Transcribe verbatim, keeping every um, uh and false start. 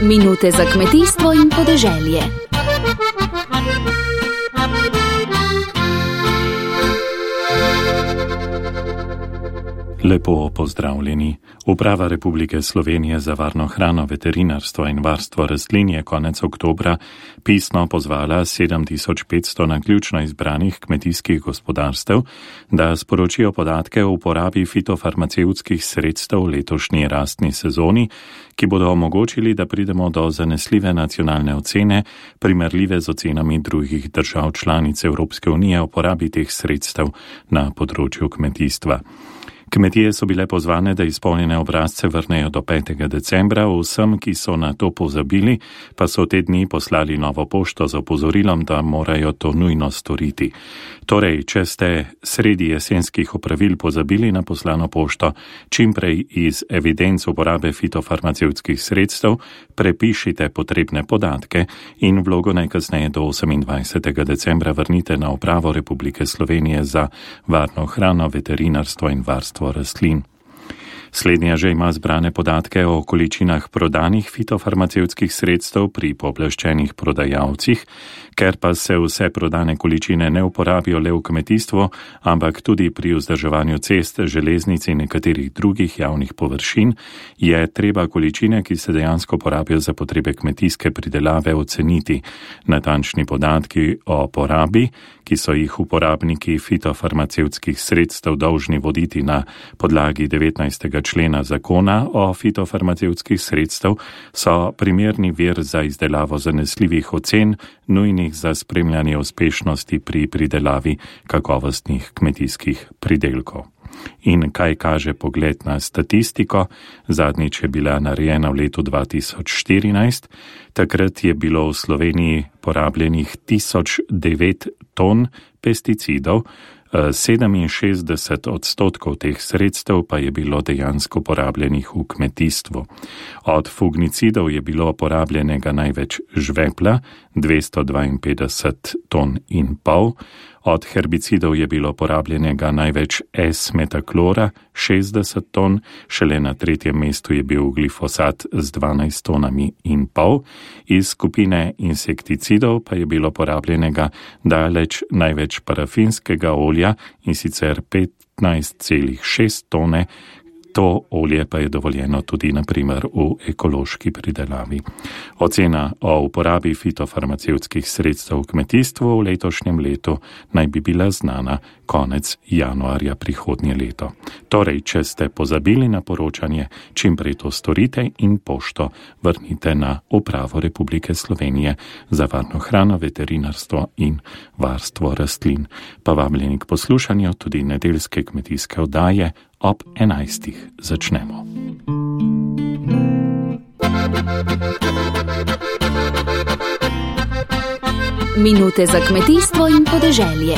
Minute za kmetijstvo in podeželje. Lepo pozdravljeni. Uprava Republike Slovenije za varno hrano, veterinarstvo in varstvo rastlin je konec oktobra pisno pozvala sedem tisoč petsto naključno izbranih kmetijskih gospodarstev, da sporočijo podatke o uporabi fitofarmacevtskih sredstev v letošnji rastni sezoni, ki bodo omogočili, da pridemo do zanesljive nacionalne ocene, primerljive z ocenami drugih držav članic Evropske unije o uporabi teh sredstev na področju kmetijstva. Kmetije so bile pozvane, da izpolnjene obrazce vrnejo do petega decembra, vsem, ki so na to pozabili, pa so te dni poslali novo pošto z opozorilom, da morajo to nujno storiti. Torej, če ste sredi jesenskih opravil pozabili na poslano pošto, čimprej iz evidenc uporabe fitofarmacevtskih sredstev prepišite potrebne podatke in vlogo najkasneje do osemindvajsetega decembra vrnite na Upravo Republike Slovenije za varno hrano, veterinarstvo in varstvo rastlin. Slednja že ima zbrane podatke o količinah prodanih fitofarmacevtskih sredstev pri pooblaščenih prodajalcih, ker pa se vse prodane količine ne uporabijo le v kmetijstvu, ampak tudi pri vzdrževanju cest, železnic in nekaterih drugih javnih površin, je treba količine, ki se dejansko porabijo za potrebe kmetijske pridelave, oceniti. Natančni podatki o porabi, ki so jih uporabniki fitofarmacevtskih sredstev dolžni voditi na podlagi devetnajstega člena zakona o fitofarmacevtskih sredstev, so primerni vir za izdelavo zanesljivih ocen, nujnih za spremljanje uspešnosti pri pridelavi kakovostnih kmetijskih pridelkov. In kaj kaže pogled na statistiko? Zadnjič je bila narejena v letu dva tisoč štirinajst. Takrat je bilo v Sloveniji porabljenih tisoč devet ton pesticidov, sedeminšestdeset odstotkov teh sredstev pa je bilo dejansko porabljenih v kmetijstvu. Od fugnicidov je bilo porabljenega največ žvepla, dvesto dvainpetdeset ton in pol, od herbicidov je bilo porabljenega največ S-metaklora, šestdeset ton, šele na tretjem mestu je bil glifosat z dvanajst tonami in pol, iz skupine insekticidov pa je bilo porabljenega daleč največ parafinskega olja, in sicer petnajst celih šest tone. To olje pa je dovoljeno tudi na primer v ekološki pridelavi. Ocena o uporabi fitofarmacevtskih sredstev v kmetijstvu v letošnjem letu naj bi bila znana konec januarja prihodnje leto. Torej, če ste pozabili na poročanje, čim prej to storite in pošto vrnite na Upravo Republike Slovenije za varno hrano, veterinarstvo in varstvo rastlin. Pa vabljeni k poslušanju tudi nedeljske kmetijske oddaje. Ob enajstih začnemo. Minute za kmetijstvo in podeželje.